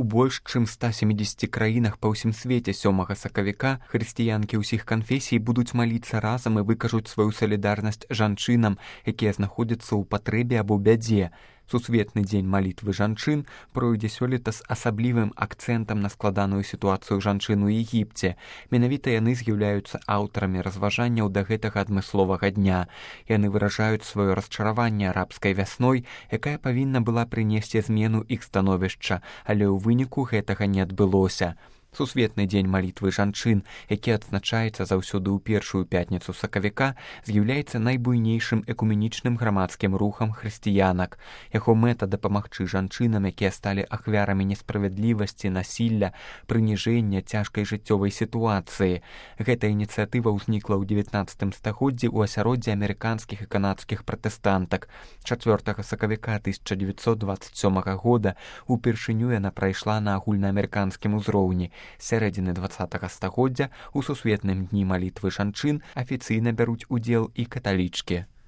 У больш чым 170 краінах па ўсім свеце 7 сакавіка хрысціянкі ўсіх канфесій будуць маліцца разам і выкажуць сваю салідарнасць жанчынам, якія знаходзяцца ў патрэбе або бядзе. Сусветны дзень малітвы жанчын пройдзе сёлета з асаблівым акцэнтам на складаную сітуацыю жанчын у Егіпце. Менавіта яны з'яўляюцца аўтарамі разважанняў да гэтага адмысловага дня. Яны выражаюць сваё расчараванне арабскай вясной, якая павінна была прынесці змену іх становішча, але ў выніку гэтага не адбылося. Сусветны дзень малітвы жанчын, які адзначаецца заўсёды ў першую пятніцу сакавіка, з'яўляецца найбуйнейшым экуменічным грамадскім рухам хрысціянак. Яго мэта дапамагчы жанчынам, якія сталі ахвярамі несправядлівасці, насілля, прыніжэння, цяжкай жыццёвай сітуацыі. Гэта ініцыятыва ўзнікла ў 19 стагоддзі ў асяроддзі амерыканскіх і канадскіх пратэстантак. 4 сакавіка 1927 года упершыню яна прайшла на агульнаамерыканскім узроўні. З сярэдзіны 20 стагоддзя ў сусветным дні малітвы жанчын афіцыйна бяруць удзел і каталічкі.